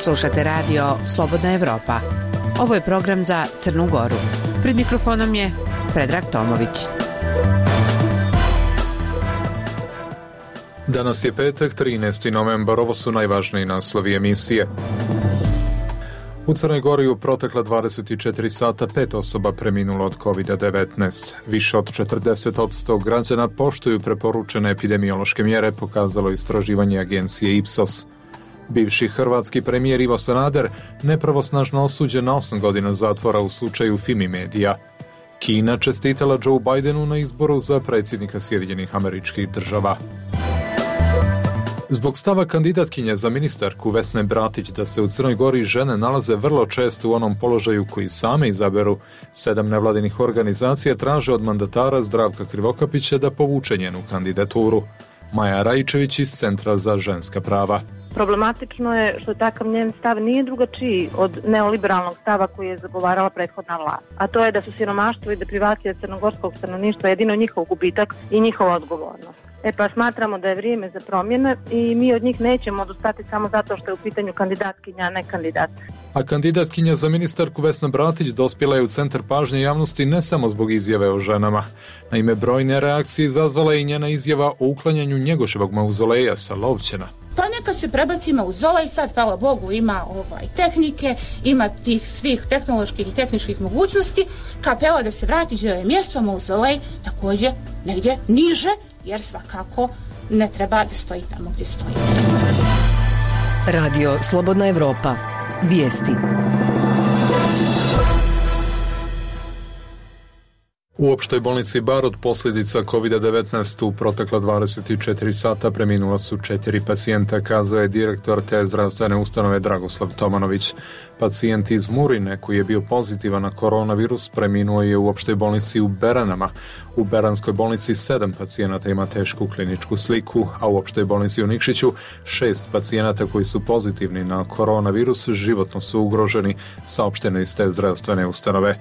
Slušate radio Slobodna Evropa. Ovo je program za Crnu Goru. Pred mikrofonom je Predrag Tomović. Danas je petak, 13. novembar. Ovo su najvažniji naslovi emisije. U Crnoj Gori u protekla 24 sata 5 osoba preminulo od COVID-19. Više od 40% građana poštuju preporučene epidemiološke mjere, pokazalo istraživanje agencije Ipsos. Bivši hrvatski premijer Ivo Sanader nepravosnažno osuđen na 8 godina zatvora u slučaju Fimi Medija. Kina čestitala Joe Bidenu na izboru za predsjednika Sjedinjenih Američkih Država. Zbog stava kandidatkinje za ministarku Vesne Bratić da se u Crnoj Gori žene nalaze vrlo često u onom položaju koji same izaberu, 7 nevladinih organizacija traže od mandatara Zdravka Krivokapića da povuče njenu kandidaturu. Maja Rajičević iz Centra za ženska prava. Problematično je što takav njen stav nije drugačiji od neoliberalnog stava koji je zagovarala prethodna vlast, a to je da su siromaštvo i deprivacija crnogorskog stanovništva jedino njihov gubitak i njihova odgovornost. Pa smatramo da je vrijeme za promjene i mi od njih nećemo odustati samo zato što je u pitanju kandidatkinja, a ne kandidat. A kandidatkinja za ministarku Vesna Bratić dospjela je u centar pažnje javnosti ne samo zbog izjave o ženama. Naime, brojne reakcije izazvala je i njena izjava o uklanjanju Njegoševog mauzoleja sa Lovćena. Pa neka se prebaci mauzolej, sad hvala Bogu ima tehnike, ima tih svih tehnoloških i tehničkih mogućnosti, kapela da se vrati gdje je mjesto, mauzolej također negdje niže, jer svakako ne treba da stoji tamo gdje stoji. Radio Slobodna Evropa. Vijesti. U opštoj bolnici Bar od posljedica COVID-19 u protekla 24 sata preminula su 4 pacijenta, kazao je direktor te zdravstvene ustanove Dragoslav Tomanović. Pacijent iz Murine koji je bio pozitivan na koronavirus preminuo je u opštoj bolnici u Beranama. U Beranskoj bolnici 7 pacijenata ima tešku kliničku sliku, a u opštoj bolnici u Nikšiću 6 pacijenata koji su pozitivni na koronavirus životno su ugroženi, saopšteno iz te zdravstvene ustanove.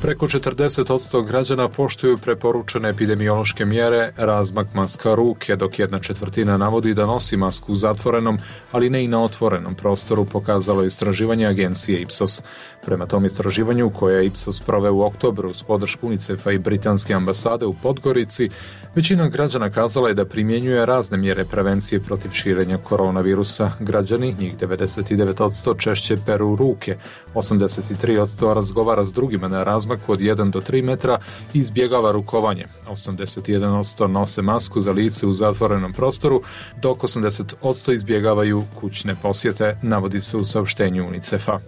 Preko 40% građana poštuju preporučene epidemiološke mjere, razmak maska ruke, dok 1/4 navodi da nosi masku u zatvorenom, ali ne i na otvorenom prostoru, pokazalo je istraživanje agencije Ipsos. Prema tom istraživanju, koje je Ipsos proveo u oktobru uz podršku UNICEF-a i Britanske ambasade u Podgorici, većina građana kazala je da primjenjuje razne mjere prevencije protiv širenja koronavirusa. Građani, njih 99% češće peru ruke, 83% razgovara s drugima na razmak od 1 do 3 metra i izbjegava rukovanje. 81% nose masku za lice u zatvorenom prostoru, dok 80% izbjegavaju kućne posjete, navodi se u saopštenju UNICEF-a.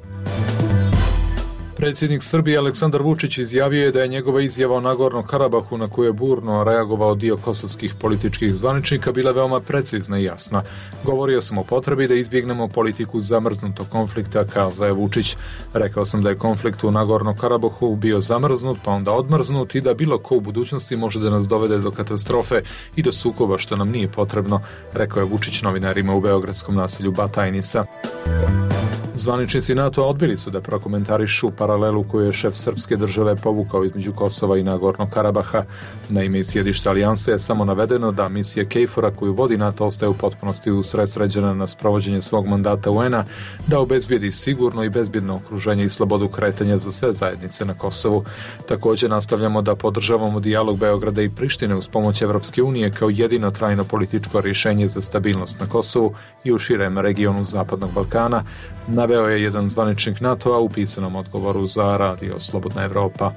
Predsjednik Srbije Aleksandar Vučić izjavio je da je njegova izjava o Nagornom Karabahu, na koju je burno reagovao dio kosovskih političkih zvaničnika, bila veoma precizna i jasna. Govorio sam o potrebi da izbjegnemo politiku zamrznutog konflikta, kazao je Vučić. Rekao sam da je konflikt u Nagornom Karabahu bio zamrznut, pa onda odmrznut i da bilo ko u budućnosti može da nas dovede do katastrofe i do sukoba, što nam nije potrebno, rekao je Vučić novinarima u beogradskom naselju Batajnica. Zvaničnici NATO odbili su da prokomentarišu paralelu koju je šef srpske države povukao između Kosova i Nagornog Karabaha. Na ime sjedišta alijanse je samo navedeno da misija KFOR-a koju vodi NATO ostaje u potpunosti usredsređena na sprovođenje svog mandata UN-a, da obezbijedi sigurno i bezbjedno okruženje i slobodu kretanja za sve zajednice na Kosovu. Također nastavljamo da podržavamo dijalog Beograda i Prištine uz pomoć Evropske unije kao jedino trajno političko rješenje za stabilnost na Kosovu i u širem regionu Zapadnog Balkana, naveo je jedan zvaničnik NATO-a u pisanom odgovoru za Radio Slobodna Evropa.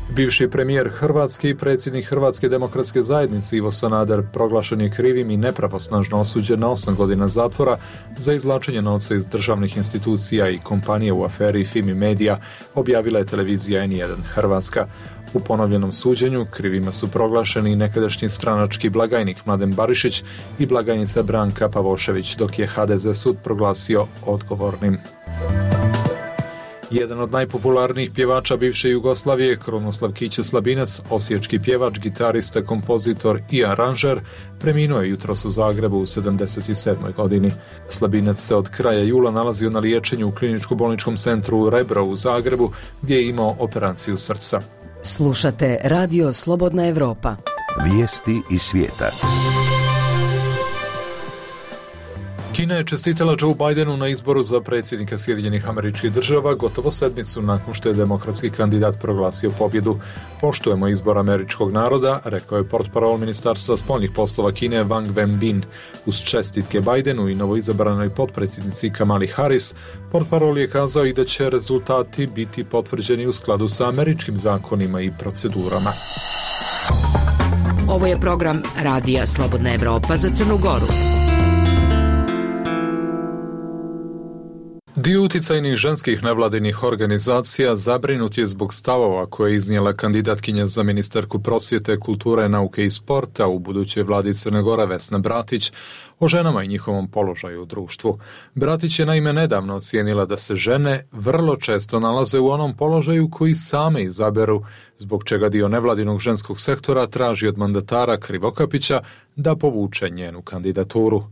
Bivši premijer Hrvatske i predsjednik Hrvatske demokratske zajednice Ivo Sanader proglašen je krivim i nepravosnažno osuđen na 8 godina zatvora za izvlačenje novca iz državnih institucija i kompanije u aferi Fimi Medija, objavila je televizija N1 Hrvatska. U ponovljenom suđenju krivima su proglašeni nekadašnji stranački blagajnik Mladen Barišić i blagajnica Branka Pavošević, dok je HDZ sud proglasio odgovornim. Jedan od najpopularnijih pjevača bivše Jugoslavije, Krunoslav Kića Slabinac, osječki pjevač, gitarista, kompozitor i aranžer, preminuo je jutros u Zagrebu u 77. godini. Slabinac se od kraja jula nalazio na liječenju u kliničko-bolničkom centru Rebro u Zagrebu, gdje je imao operaciju srca. Slušate Radio Slobodna Evropa. Vijesti iz svijeta. Kina je čestitala Joe Bidenu na izboru za predsjednika Sjedinjenih Američkih Država gotovo sedmicu nakon što je demokratski kandidat proglasio pobjedu. Poštujemo izbor američkog naroda, rekao je portparol Ministarstva spoljnih poslova Kine Wang Wenbin. Uz čestitke Bidenu i novoizabranoj potpredsjednici Kamali Harris, portparol je kazao i da će rezultati biti potvrđeni u skladu sa američkim zakonima i procedurama. Ovo je program Radija Slobodna Evropa za Crnu Goru. Dio uticajnih ženskih nevladinih organizacija zabrinut je zbog stavova koje je iznijela kandidatkinja za ministarku prosvjete, kulture, nauke i sporta u budućoj vladi Crne Gore Vesna Bratić o ženama i njihovom položaju u društvu. Bratić je naime nedavno ocijenila da se žene vrlo često nalaze u onom položaju koji same izaberu, zbog čega dio nevladinog ženskog sektora traži od mandatara Krivokapića da povuče njenu kandidaturu.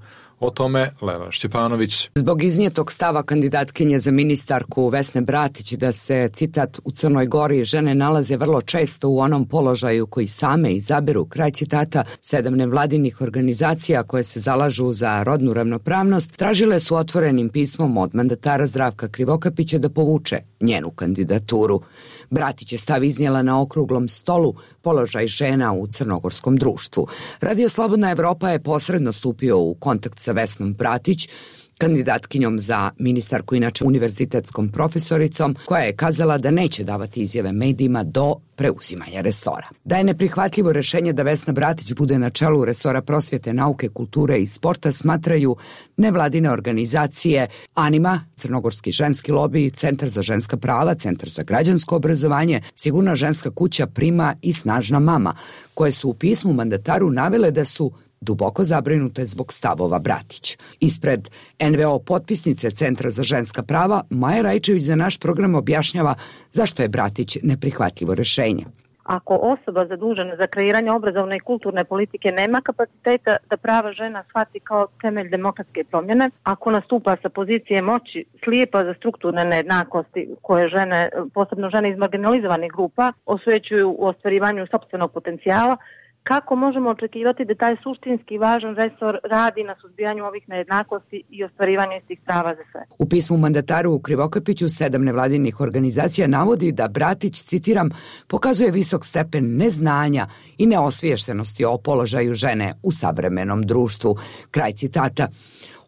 O tome Lela Šćepanović. Zbog iznijetog stava kandidatkinje za ministarku Vesne Bratić da se, citat, u Crnoj Gori žene nalaze vrlo često u onom položaju koji same izaberu, kraj citata, 7 nevladinih organizacija koje se zalažu za rodnu ravnopravnost tražile su otvorenim pismom od mandatara Zdravka Krivokapića da povuče njenu kandidaturu. Bratić je stav iznijela na okruglom stolu položaj žena u crnogorskom društvu. Radio Slobodna Evropa je posredno stupio u kontakt sa Vesnom Bratić, kandidatkinjom za ministarku, inače univerzitetskom profesoricom, koja je kazala da neće davati izjave medijima do preuzimanja resora. Da je neprihvatljivo rješenje da Vesna Bratić bude na čelu resora prosvjete, nauke, kulture i sporta smatraju nevladine organizacije Anima, Crnogorski ženski lobi, Centar za ženska prava, Centar za građansko obrazovanje, Sigurna ženska kuća, Prima i Snažna mama, koje su u pismu mandataru navele da su duboko zabrinute zbog stavova Bratić. Ispred NVO potpisnice Centra za ženska prava, Maja Rajčević za naš program objašnjava zašto je Bratić neprihvatljivo rješenje. Ako osoba zadužena za kreiranje obrazovne i kulturne politike nema kapaciteta da prava žena shvati kao temelj demokratske promjene, ako nastupa sa pozicije moći slijepa za strukturne nejednakosti koje žene, posebno žene iz marginalizovanih grupa, osvećuju u ostvarivanju sopstvenog potencijala, kako možemo očekivati da taj suštinski važan resor radi na suzbijanju ovih nejednakosti i ostvarivanju istih prava za sve? U pismu mandataru Krivokapiću 7 nevladinih organizacija navodi da Bratić, citiram, pokazuje visok stepen neznanja i neosviještenosti o položaju žene u savremenom društvu. Kraj citata.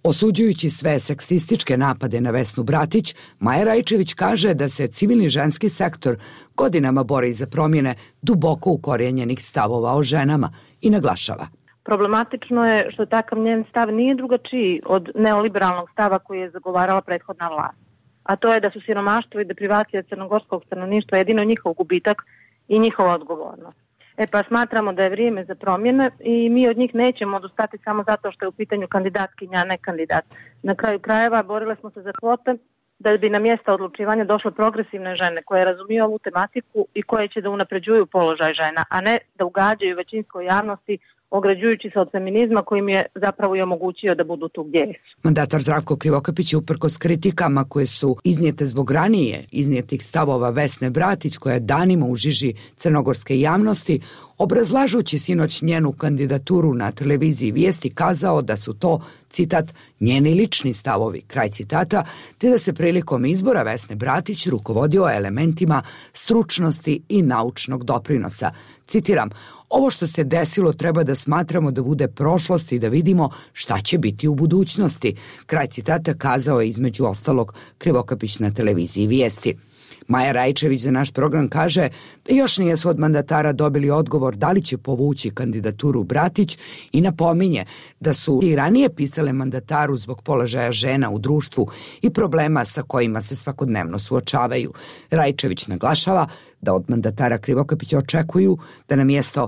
Osuđujući sve seksističke napade na Vesnu Bratić, Maja Rajčević kaže da se civilni ženski sektor godinama bori za promjene duboko ukorijenjenih stavova o ženama i naglašava. Problematično je što takav njen stav nije drugačiji od neoliberalnog stava koji je zagovarala prethodna vlast. A to je da su siromaštvo i deprivacija crnogorskog stanovništva jedino njihov gubitak i njihova odgovornost. Pa smatramo da je vrijeme za promjene i mi od njih nećemo odustati samo zato što je u pitanju kandidatkinja, a ne kandidat. Na kraju krajeva borile smo se za kvote da bi na mjesta odlučivanja došle progresivne žene koje razumiju ovu tematiku i koje će da unapređuju položaj žena, a ne da ugađaju većinskoj javnosti ograđujući se od feminizma koji mi je zapravo i omogućio da budu tu gdje jesu. Mandatar Zdravko Krivokapić je uprkos kritikama koje su iznijete zbog ranije iznijetih stavova Vesne Bratić, koja je danima u žiži crnogorske javnosti, obrazlažući sinoć njenu kandidaturu na televiziji Vijesti, kazao da su to, citat, njeni lični stavovi, kraj citata, te da se prilikom izbora Vesne Bratić rukovodio elementima stručnosti i naučnog doprinosa. Citiram, ovo što se desilo treba da smatramo da bude prošlost i da vidimo šta će biti u budućnosti. Kraj citata kazao je između ostalog Krivokapić na televiziji Vijesti. Maja Rajčević za naš program kaže da još nijesu od mandatara dobili odgovor da li će povući kandidaturu Bratić i napominje da su i ranije pisale mandataru zbog položaja žena u društvu i problema sa kojima se svakodnevno suočavaju. Rajčević naglašava da od mandatara Krivokapića očekuju da na mjesto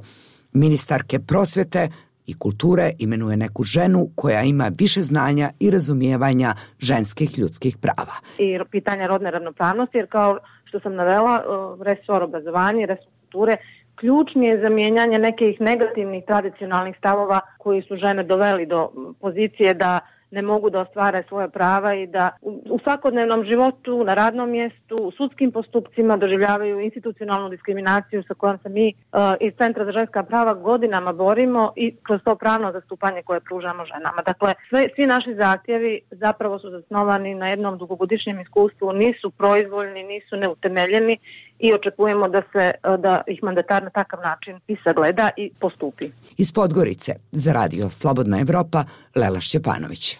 ministarke prosvjete i kulture imenuje neku ženu koja ima više znanja i razumijevanja ženskih ljudskih prava. I pitanje rodne ravnopravnosti, jer kao što sam navela, resor obrazovanja i resor kulture ključni je za mijenjanje nekih negativnih tradicionalnih stavova koji su žene doveli do pozicije da ne mogu da ostvare svoje prava i da u svakodnevnom životu, na radnom mjestu, u sudskim postupcima doživljavaju institucionalnu diskriminaciju sa kojom se mi iz Centra za ženska prava godinama borimo i kroz to pravno zastupanje koje pružamo ženama. Dakle, svi naši zahtjevi zapravo su zasnovani na jednom dugogodišnjem iskustvu, nisu proizvoljni, nisu neutemeljeni i očekujemo da ih mandatar na takav način i sagleda i postupi. Iz Podgorice za radio Slobodna Evropa, Lela Šćepanović.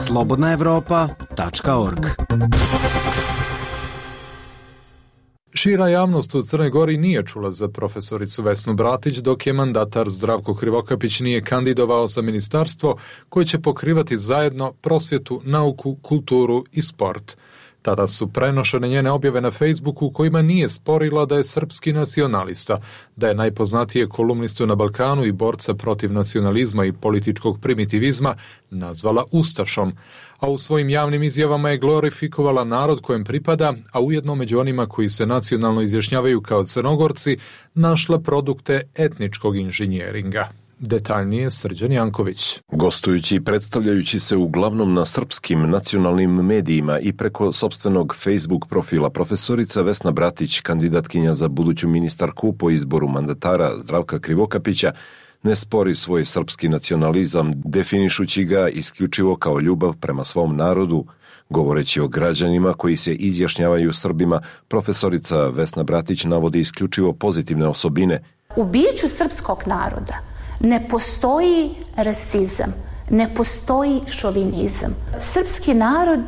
slobodnaevropa.org. Šira javnost u Crnoj Gori nije čula za profesoricu Vesnu Bratić, dok je mandatar Zdravko Krivokapić nije kandidovao za ministarstvo koje će pokrivati zajedno prosvjetu, nauku, kulturu i sport. Tada su prenošene njene objave na Facebooku kojima nije sporila da je srpski nacionalista, da je najpoznatije kolumnistu na Balkanu i borca protiv nacionalizma i političkog primitivizma nazvala ustašom, a u svojim javnim izjavama je glorifikovala narod kojem pripada, a ujedno među onima koji se nacionalno izjašnjavaju kao Crnogorci našla produkte etničkog inženjeringa. Detaljnije Srđan Janković. Gostujući i predstavljajući se uglavnom na srpskim nacionalnim medijima i preko sopstvenog Facebook profila, profesorica Vesna Bratić, kandidatkinja za buduću ministarku po izboru mandatara Zdravka Krivokapića, ne spori svoj srpski nacionalizam, definišući ga isključivo kao ljubav prema svom narodu. Govoreći o građanima koji se izjašnjavaju Srbima, profesorica Vesna Bratić navodi isključivo pozitivne osobine. U biću srpskog naroda ne postoji rasizam, ne postoji šovinizam. Srpski narod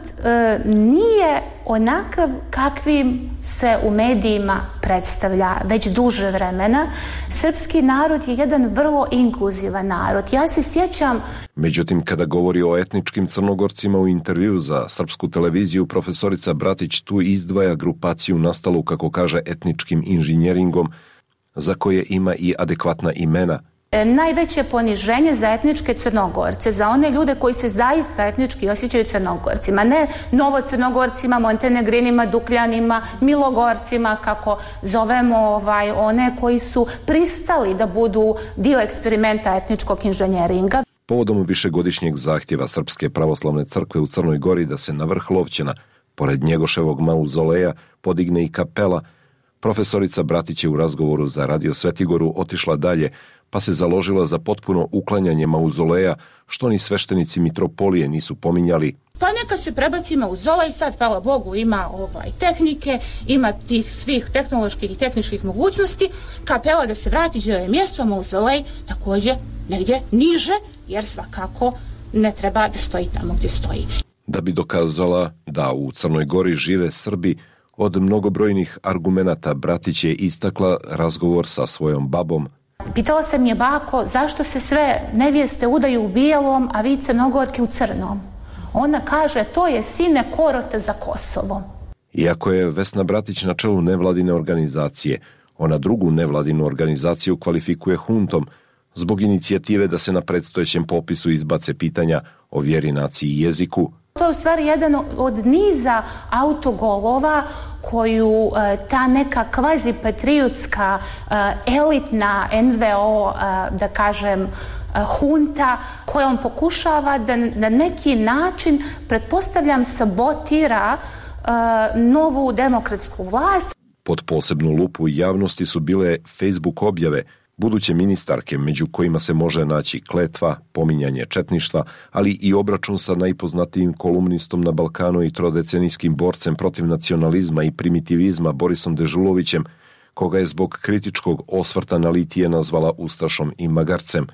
nije onakav kakvim se u medijima predstavlja već duže vremena. Srpski narod je jedan vrlo inkluzivan narod. Ja se sjećam... Međutim, kada govori o etničkim Crnogorcima u intervju za srpsku televiziju, profesorica Bratić tu izdvaja grupaciju nastalu, kako kaže, etničkim inženjeringom, za koje ima i adekvatna imena. Najveće poniženje za etničke Crnogorce, za one ljude koji se zaista etnički osjećaju Crnogorcima, ne Novocrnogorcima, Montenegrinima, Dukljanima, Milogorcima, kako zovemo one koji su pristali da budu dio eksperimenta etničkog inženjeringa. Povodom višegodišnjeg zahtjeva Srpske pravoslavne crkve u Crnoj Gori da se na vrh Lovćena, pored Njegoševog mauzoleja, podigne i kapela, profesorica Bratić je u razgovoru za Radio Svetigoru otišla dalje, pa se založila za potpuno uklanjanje mauzoleja, što ni sveštenici mitropolije nisu pominjali. Pa neka se prebaci mauzolej, sad, hvala Bogu, ima tehnike, ima tih svih tehnoloških i tehničkih mogućnosti, kapela da se vrati gdje je mjesto, mauzolej također negdje niže, jer svakako ne treba da stoji tamo gdje stoji. Da bi dokazala da u Crnoj Gori žive Srbi, od mnogobrojnih argumenata Bratić je istakla razgovor sa svojom babom. Pitala sam je, bako, zašto se sve nevjeste udaju u bijelom, a vi Crnogorke u crnom? Ona kaže, to je sine korote za Kosovo. Iako je Vesna Bratić na čelu nevladine organizacije, ona drugu nevladinu organizaciju kvalifikuje huntom zbog inicijative da se na predstojećem popisu izbace pitanja o vjeri, naciji i jeziku. To je u stvari jedan od niza autogolova koju ta neka kvazipatriotska elitna NVO, da kažem, hunta, kojom pokušava da na neki način, pretpostavljam, sabotira novu demokratsku vlast. Pod posebnu lupu javnosti su bile Facebook objave buduće ministarke, među kojima se može naći kletva, pominjanje četništva, ali i obračun sa najpoznatijim kolumnistom na Balkanu i trodecenijskim borcem protiv nacionalizma i primitivizma Borisom Dežulovićem, koga je zbog kritičkog osvrta na litije nazvala ustašom i magarcem.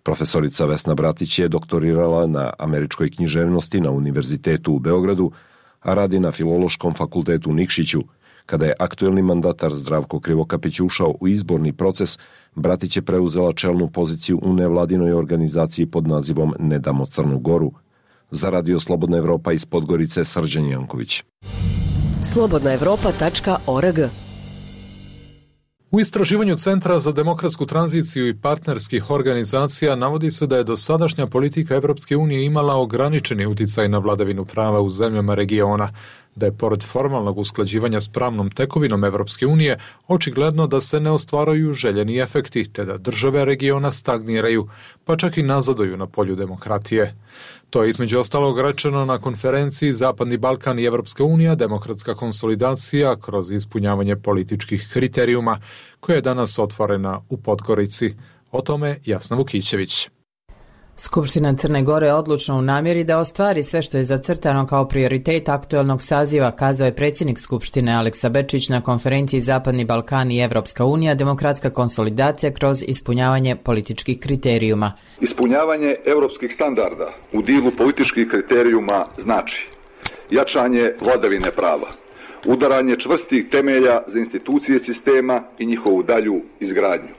Profesorica Vesna Bratić je doktorirala na američkoj književnosti na Univerzitetu u Beogradu, a radi na Filološkom fakultetu u Nikšiću. Kada je aktuelni mandatar Zdravko Krivokapić ušao u izborni proces, Bratić je preuzela čelnu poziciju u nevladinoj organizaciji pod nazivom Ne damo Crnu Goru. Za Radio Slobodna Evropa iz Podgorice, Srđan Janković. slobodnaevropa.org. U istraživanju Centra za demokratsku tranziciju i partnerskih organizacija navodi se da je dosadašnja politika Evropske unije imala ograničeni uticaj na vladavinu prava u zemljama regiona. da je pored formalnog usklađivanja s pravnom tekovinom Evropske unije očigledno da se ne ostvaruju željeni efekti, te da države regiona stagniraju, pa čak i nazaduju na polju demokratije. To je između ostalog rečeno na konferenciji Zapadni Balkan i Evropska unija, demokratska konsolidacija kroz ispunjavanje političkih kriterijuma, koja je danas otvorena u Podgorici. O tome Jasna Vukićević. Skupština Crne Gore je odlučna u namjeri da ostvari sve što je zacrtano kao prioritet aktuelnog saziva, kazao je predsjednik Skupštine Aleksa Bečić na konferenciji Zapadni Balkan i Evropska unija, demokratska konsolidacija kroz ispunjavanje političkih kriterijuma. Ispunjavanje evropskih standarda u dilu političkih kriterijuma znači jačanje vladavine prava, udaranje čvrstih temelja za institucije sistema i njihovu dalju izgradnju,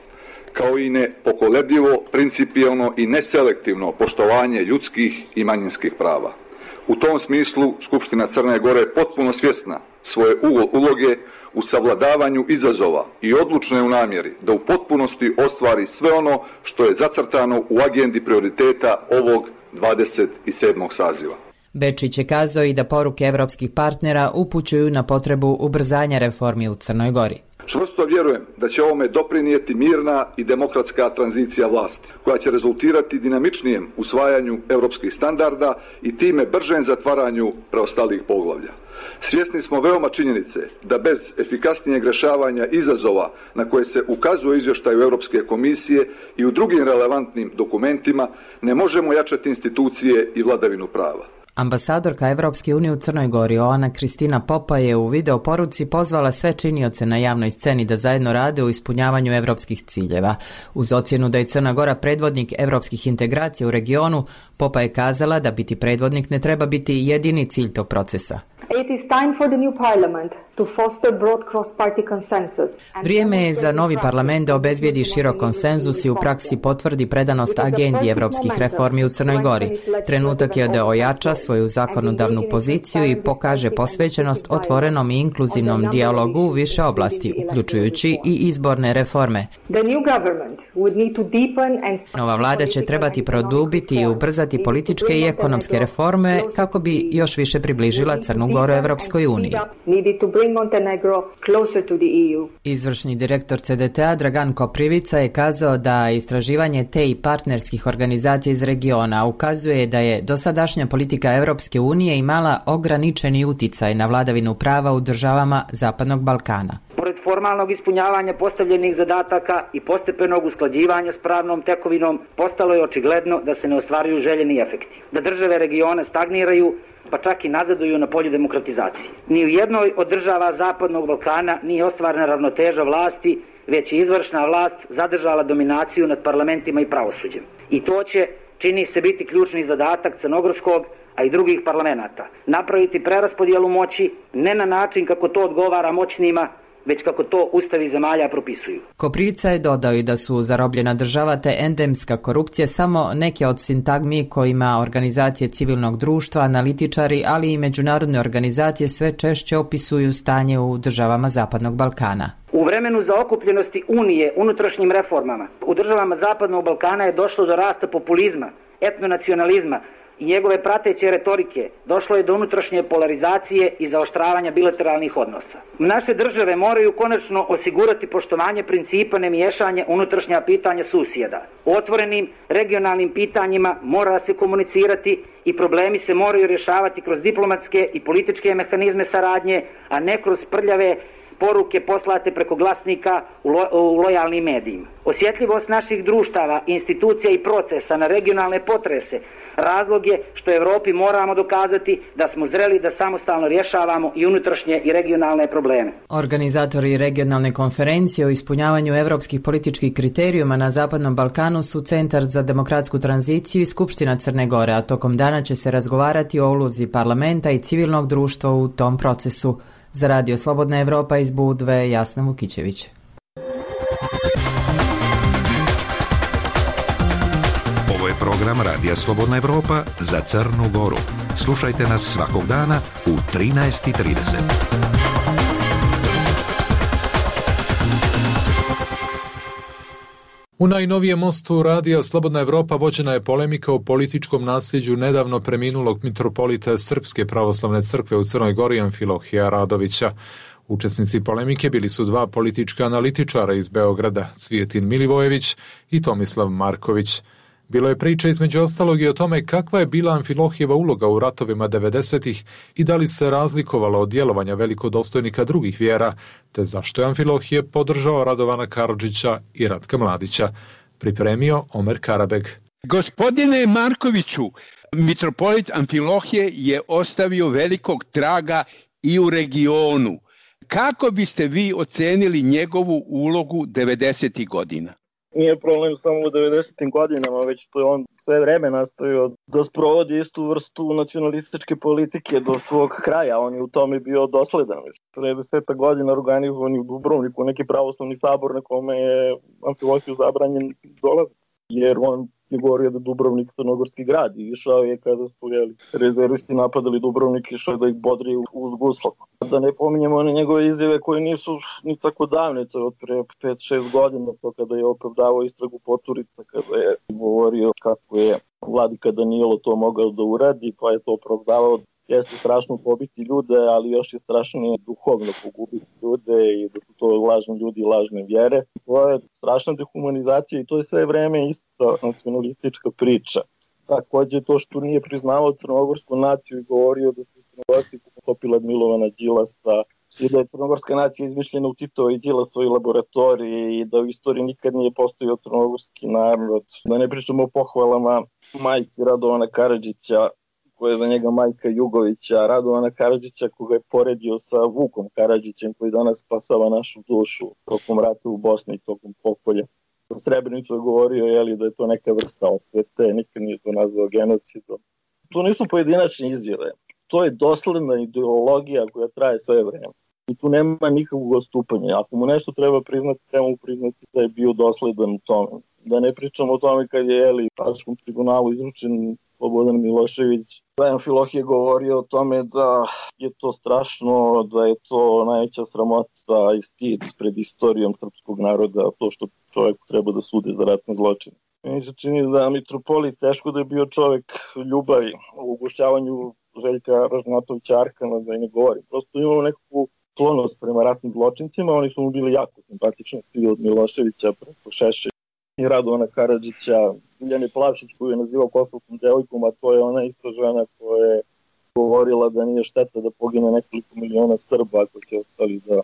kao i nepokolebljivo, principijelno i neselektivno poštovanje ljudskih i manjinskih prava. U tom smislu Skupština Crne Gore je potpuno svjesna svoje uloge u savladavanju izazova i odlučna je u namjeri da u potpunosti ostvari sve ono što je zacrtano u agendi prioriteta ovog 27. saziva. Bečić je kazao i da poruke evropskih partnera upućuju na potrebu ubrzanja reformi u Crnoj Gori. Čvrsto vjerujem da će ovome doprinijeti mirna i demokratska tranzicija vlasti, koja će rezultirati dinamičnijem usvajanju europskih standarda i time bržem zatvaranju preostalih poglavlja. Svjesni smo veoma činjenice da bez efikasnijeg rješavanja izazova na koje se ukazuje izvještaju Europske komisije i u drugim relevantnim dokumentima ne možemo jačati institucije i vladavinu prava. Ambasadorka Evropske unije u Crnoj Gori Oana Kristina Popa je u videoporuci pozvala sve činioce na javnoj sceni da zajedno rade u ispunjavanju evropskih ciljeva. Uz ocjenu da je Crna Gora predvodnik evropskih integracija u regionu, Popa je kazala da biti predvodnik ne treba biti jedini cilj tog procesa. Vrijeme je za novi parlament da obezbijedi širok konsenzus i u praksi potvrdi predanost agendi evropskih reformi u Crnoj Gori. Trenutak je da ojača svoju zakonodavnu poziciju i pokaže posvećenost otvorenom i inkluzivnom dijalogu u više oblasti, uključujući i izborne reforme. Nova vlada će trebati produbiti i ubrzati političke i ekonomske reforme kako bi još više približila Crnu Goru Evropskoj uniji. Izvršni direktor CDT-a Dragan Koprivica je kazao da istraživanje te i partnerskih organizacija iz regiona ukazuje da je dosadašnja politika Evropske unije imala ograničeni uticaj na vladavinu prava u državama Zapadnog Balkana. Pored formalnog ispunjavanja postavljenih zadataka i postepenog usklađivanja s pravnom tekovinom, postalo je očigledno da se ne ostvaruju željeni efekti. Da države regiona stagniraju, pa čak i nazaduju na polju demokratizacije. Ni u jednoj od država Zapadnog Balkana nije ostvarena ravnoteža vlasti, već je izvršna vlast zadržala dominaciju nad parlamentima i pravosuđem. I to će, čini se, biti ključni zadatak crnogorskog, a i drugih parlamenata. Napraviti preraspodjelu moći ne na način kako to odgovara moćnima, već kako to ustavi zemalja propisuju. Koprivica je dodao i da su zarobljena država te endemska korupcija samo neke od sintagmi kojima organizacije civilnog društva, analitičari, ali i međunarodne organizacije sve češće opisuju stanje u državama Zapadnog Balkana. U vremenu zaokupljenosti Unije unutrašnjim reformama u državama Zapadnog Balkana je došlo do rasta populizma, etnonacionalizma i njegove prateće retorike. Došlo je do unutrašnje polarizacije i zaoštravanja bilateralnih odnosa. Naše države moraju konačno osigurati poštovanje principa nemiješanja unutrašnja pitanja susjeda. O otvorenim regionalnim pitanjima mora se komunicirati i problemi se moraju rješavati kroz diplomatske i političke mehanizme saradnje, a ne kroz prljave poruke poslate preko glasnika u lojalnim medijima. Osjetljivost naših društava, institucija i procesa na regionalne potrese razlog je što Evropi moramo dokazati da smo zreli da samostalno rješavamo i unutrašnje i regionalne probleme. Organizatori regionalne konferencije o ispunjavanju evropskih političkih kriterijuma na Zapadnom Balkanu su Centar za demokratsku tranziciju i Skupština Crne Gore, a tokom dana će se razgovarati o ulozi parlamenta i civilnog društva u tom procesu. Za Radio Slobodna Evropa iz Budve, Jasna Vukićević. Ovo je program Radija Slobodna Evropa za Crnu Goru. Slušajte nas svakog dana u 13:30. U najnovijem mostu radija Slobodna Evropa vođena je polemika o političkom nasljeđu nedavno preminulog mitropolita Srpske pravoslavne crkve u Crnoj Gori Amfilohija Radovića. Učesnici polemike bili su dva politička analitičara iz Beograda, Cvijetin Milivojević i Tomislav Marković. Bilo je priča između ostalog i o tome kakva je bila Amfilohijeva uloga u ratovima 90-ih i da li se razlikovala od djelovanja velikodostojnika drugih vjera, te zašto je Amfilohije podržao Radovana Karadžića i Ratka Mladića. Pripremio Omer Karabeg. Gospodine Markoviću, mitropolit Amfilohije je ostavio velikog traga i u regionu. Kako biste vi ocenili njegovu ulogu 90. godina? Nije problem samo u 90. godinama, već to je on sve vreme nastavio da sprovodi istu vrstu nacionalističke politike do svog kraja. On je u tome bio dosledan. Pre 10 godina organizovan u Dubrovniku neki pravoslavni sabor na kome je Amfilohiju zabranjen dolaz, jer on je govorio da Dubrovnik je crnogorski grad i išao je kada su rezervisti napadali Dubrovnik, išao da ih bodri uz guslom. Da ne pominjemo one njegove izjave koje nisu ni tako davne, to je od pre 5-6 godina, to kada je opravdavao istragu Poturica, kada je govorio kako je vladika Danilo to mogao da uradi, pa je to opravdavao. Jeste strašno pobiti ljude, ali još je strašnije duhovno pogubiti ljude i da su to lažni ljudi i lažne vjere. To je strašna dehumanizacija i to je sve vreme ista nacionalistička priča. Takođe to što nije priznavao crnogorsku naciju i govorio da su Crnogorci potopila Milovana Đilasa i da je crnogorska nacija izmišljena u Titovoj i Đilasovoj laboratoriji i da u istoriji nikad nije postojao crnogorski narod. Da ne pričamo o pohvalama majci Radovana Karadžića, koja je za njega majka Jugovića, Radovana Karadžića koga je poredio sa Vukom Karadžićem koji danas spasava našu dušu tokom rata u Bosni i tokom pokolja. Za Srebrenicu je govorio da je to neka vrsta odsvete, nikad nije to nazvao genocidom. To nisu pojedinačne izjave, to je dosledna ideologija koja traje sve vreme. I tu nema nikakvog odstupanja. Ako mu nešto treba mu priznati da je bio dosledan u tome. Da ne pričamo o tome kad je Haškom tribunalu izručen Slobodan Milošević. Amfilohije govorio o tome da je to strašno, da je to najveća sramota i stid pred istorijom srpskog naroda, to što čovjek treba da sude za ratne zločine. Meni se čini da mitropolit teško da je bio čovjek ljubavi u ugošćavanju Željka Ražnatovića Arkana, da i ne govorim. Prosto imao nekakvu sklonost prema ratnim zločincima, oni su mu bili jako simpatični, svi od Miloševića preko Šešelja i Radovana Karadžića, Biljane Plavšić koju je nazivao kosovskom devojkom, a to je ona ista žena koja je govorila da nije šteta da pogine nekoliko miliona Srba ako će ostali da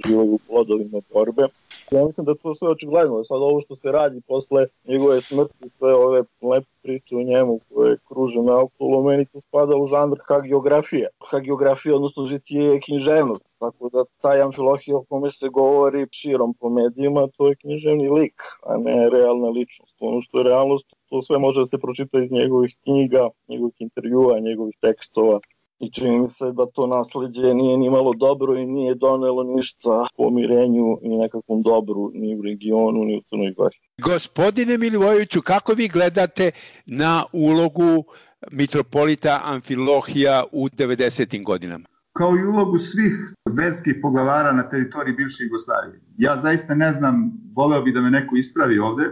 živaju u plodovima borbe. Ja mislim da to sve očigledno. Sad ovo što se radi posle njegove smrti, sve ove lepe priče o njemu koje kruže naokolo, meni to spada u žanr hagiografije. Hagiografija, odnosno žitije je književnost. Tako da taj Amfilohije o kome se govori širom po medijima, to je književni lik, a ne realna ličnost. Ono što je realnost, to sve može da se pročita iz njegovih knjiga, njegovih intervjua, njegovih tekstova. I čini mi se da to nasleđe nije ni malo dobro i nije donelo ništa pomirenju i nekakvom dobru ni u regionu ni u Crnoj Gori. Gospodine Milivojeviću, kako vi gledate na ulogu mitropolita Amfilohija u 90. godinama? Kao i ulogu svih verskih poglavara na teritoriji bivše Jugoslavije. Ja zaista ne znam, voleo bi da me neko ispravi ovde,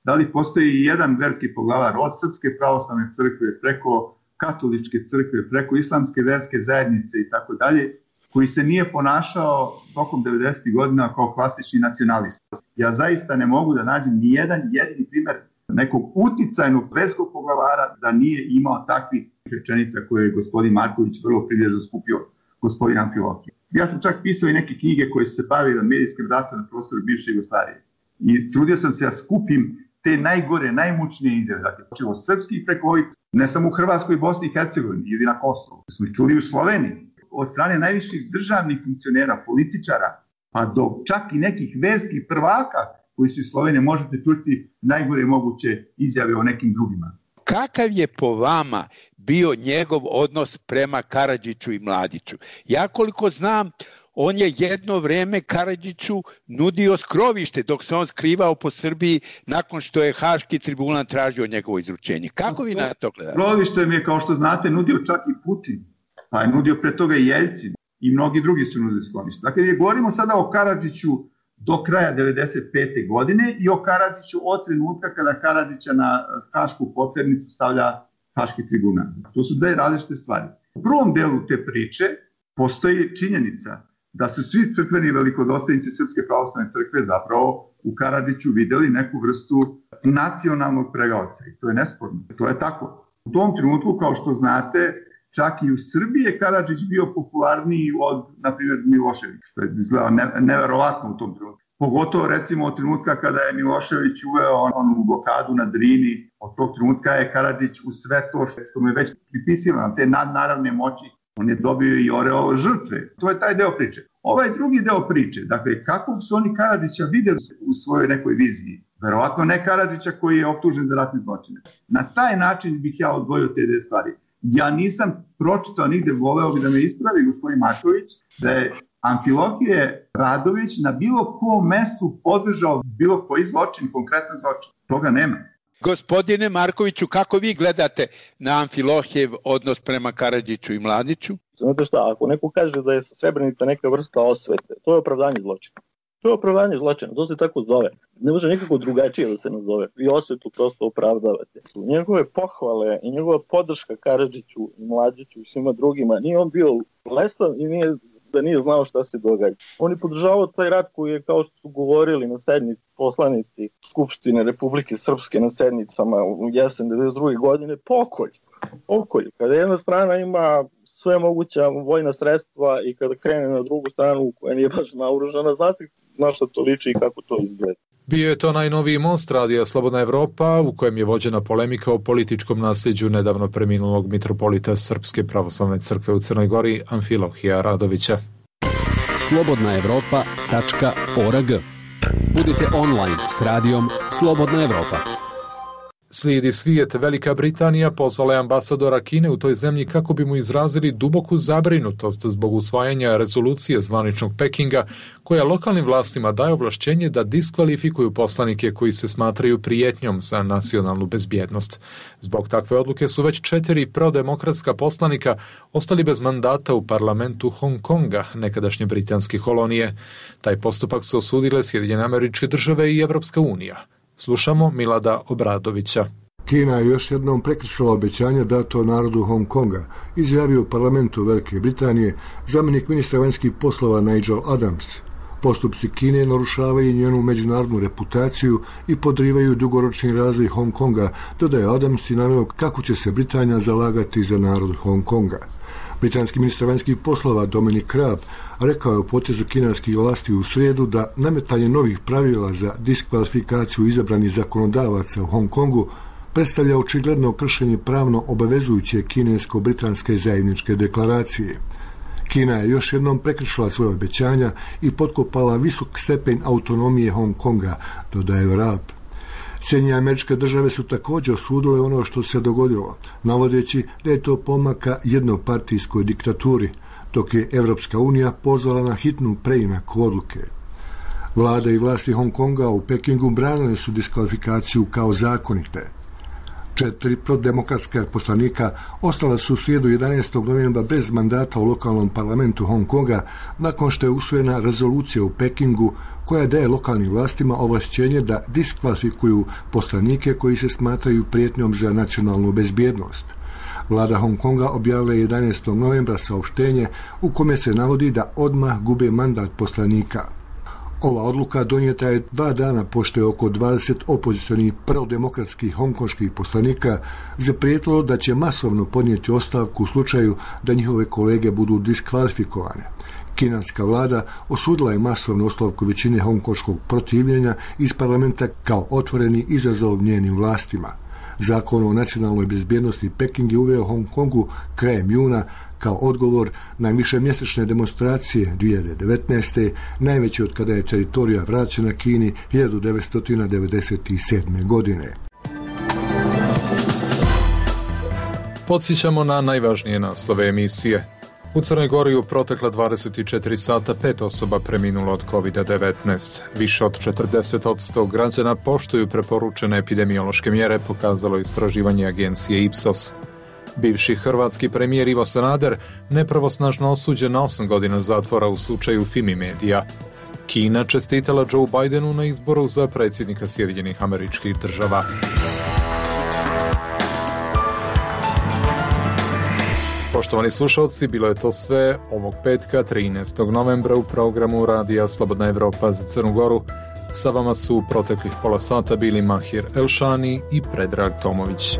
da li postoji i jedan verski poglavar od Srpske pravoslavne crkve preko katoličke crkve, preko islamske verske zajednice i tako dalje, koji se nije ponašao tokom 90. godina kao klasični nacionalist. Ja zaista ne mogu da nađem ni jedan jedini primer nekog uticajnog verskog poglavara da nije imao takvih rečenica koje je gospodin Marković vrlo prilježno skupio gospodin Amfilohije. Ja sam čak pisao i neke knjige koje se bavile medijskim ratom na prostoru bivše Jugoslavije. I trudio sam se da skupim te najgore, najmučnije izjave. Dakle, počeo od srpskih preko ovih, ne samo u Hrvatskoj, Bosni i Hercegovini ili na Kosovu. Smo ih čuli u Sloveniji. Od strane najviših državnih funkcionera, političara, pa do čak i nekih verskih prvaka koji su iz Slovenije, možete čuti najgore moguće izjave o nekim drugima. Kakav je po vama bio njegov odnos prema Karadžiću i Mladiću? Ja koliko znam, on je jedno vreme Karadžiću nudio skrovište dok se on skrivao po Srbiji nakon što je Haški tribunal tražio njegovo izručenje. Kako vi na to gledate? Skrovište mi je, kao što znate, nudio čak i Putin, pa je nudio pre toga i Jeljcin i mnogi drugi su nudili skrovište. Dakle, govorimo sada o Karadžiću do kraja 1995. godine i o Karadžiću od trenutka kada Karadžića na Hašku poternicu stavlja Haški tribunal. To su dve različite stvari. U prvom delu te priče postoji činjenica da su svi crkveni velikodostojnici Srpske pravoslavne crkve zapravo u Karadžiću videli neku vrstu nacionalnog pregaoca i to je nesporno. To je tako. U tom trenutku, kao što znate, čak i u Srbiji je Karadžić bio popularniji od, na primjer, Miloševića. To je izgledao neverovatno u tom trenutku. Pogotovo, recimo, od trenutka kada je Milošević uveo onu blokadu na Drini, od tog trenutka je Karadžić u sve to što mu je već pripisivano, te nadnaravne moći, on je dobio i oreol žrtve. To je taj deo priče. Ovaj drugi deo priče, dakle, kako su oni Karadžića videli u svojoj nekoj viziji? Verovatno ne Karadžića koji je optužen za ratne zločine. Na taj način bih ja odvojio te dve stvari. Ja nisam pročitao nigde, voleo bi da me ispravi gospodin Marković, da je Amfilohije Radović na bilo kom mestu podržao bilo koji zločin, konkretno zločin. Toga nema. Gospodine Markoviću, kako vi gledate na Amfilohijev odnos prema Karadžiću i Mladiću? Znate šta, ako neko kaže da je Srebrenica neka vrsta osvete, to je opravdanje zločina. To je opravdanje zločina, to se tako zove. Ne može nikako drugačije da se nazove. Vi osvetu prosto opravdavate. Njegove pohvale i njegova podrška Karadžiću i Mladiću i svima drugima, nije on bio lesan i nije znao šta se događa. On je podržavao taj rat koji je, kao što su govorili na sednici poslanici Skupštine Republike Srpske na sednicama u jesen 1992. godine, pokolj. Kada jedna strana ima sve moguća vojna sredstva i kada krene na drugu stranu koja nije baš naoružana, zna se na šta to liči i kako to izgleda. Bio je to najnoviji most radija Slobodna Evropa u kojem je vođena polemika o političkom nasljeđu nedavno preminulog mitropolita Srpske pravoslavne crkve u Crnoj Gori Amfilohija Radovića. slobodnaevropa.org. Budite online s radijom Slobodna Evropa. Slijedi svijet. Velika Britanija pozvala je ambasadora Kine u toj zemlji kako bi mu izrazili duboku zabrinutost zbog usvajanja rezolucije zvaničnog Pekinga koja lokalnim vlastima daje ovlašćenje da diskvalifikuju poslanike koji se smatraju prijetnjom za nacionalnu bezbjednost. Zbog takve odluke su već 4 prodemokratska poslanika ostali bez mandata u parlamentu Hong Konga, nekadašnje britanske kolonije. Taj postupak su osudile Sjedinjene Američke Države i Evropska unija. Slušamo Milada Obradovića. Kina je još jednom prekršila obećanje dato narodu Hong Konga, izjavio u parlamentu Velike Britanije zamjenik ministra vanjskih poslova Nigel Adams. Postupci Kine narušavaju njenu međunarodnu reputaciju i podrivaju dugoročni razvoj Hong Konga, dodaje Adams i naveo kako će se Britanija zalagati za narod Hong Konga. Britanski ministar vanjskih poslova Dominic Raab rekao je u potezu kineskih vlasti u srijedu da nametanje novih pravila za diskvalifikaciju izabranih zakonodavaca u Hong Kongu predstavlja očigledno kršenje pravno obavezujuće kinesko-britanske zajedničke deklaracije. Kina je još jednom prekršila svoje obećanja i potkopala visok stepen autonomije Hong Konga, dodaje Raab. Sjedinjene Američke Države su također osudile ono što se dogodilo, navodeći da je to pomaka jednopartijskoj diktaturi, dok je Evropska unija pozvala na hitnu preinak odluke. Vlada i vlasti Hong Konga u Pekingu branile su diskvalifikaciju kao zakonite. 4 prodemokratska poslanika ostala su u srijedu 11. novembra bez mandata u lokalnom parlamentu Hong Konga nakon što je usvojena rezolucija u Pekingu koja daje lokalnim vlastima ovlašćenje da diskvalifikuju poslanike koji se smatraju prijetnjom za nacionalnu bezbjednost. Vlada Hong Konga objavila je 11. novembra saopštenje u kome se navodi da odmah gube mandat poslanika. Ova odluka donijeta je 2 dana pošto je oko 20 opozicionih prodemokratskih hongkonških poslanika zaprijetilo da će masovno podnijeti ostavku u slučaju da njihove kolege budu diskvalifikovane. Kineska vlada osudila je masovnu ostavku većine hongkonškog protivljenja iz parlamenta kao otvoreni izazov njenim vlastima. Zakon o nacionalnoj bezbjednosti Peking je uveo Hong Kongu krajem juna kao odgovor na višemjesečne demonstracije 2019. najveće od kada je teritorija vraćena Kini 1997. godine. Podsjećamo na najvažnije naslove emisije. U Crnoj Gori u protekla 24 sata 5 osoba preminulo od COVID-19. Više od 40% građana poštuju preporučene epidemiološke mjere, pokazalo istraživanje agencije Ipsos. Bivši hrvatski premijer Ivo Sanader nepravosnažno osuđen na 8 godina zatvora u slučaju Fimi Medija. Kina čestitala Joe Bidenu na izboru za predsjednika Sjedinjenih Američkih Država. Poštovani slušalci, bilo je to sve ovog petka 13. novembra u programu Radija Slobodna Evropa za Crnu Goru. Sa vama su proteklih pola sata bili Mahir Elšani i Predrag Tomović.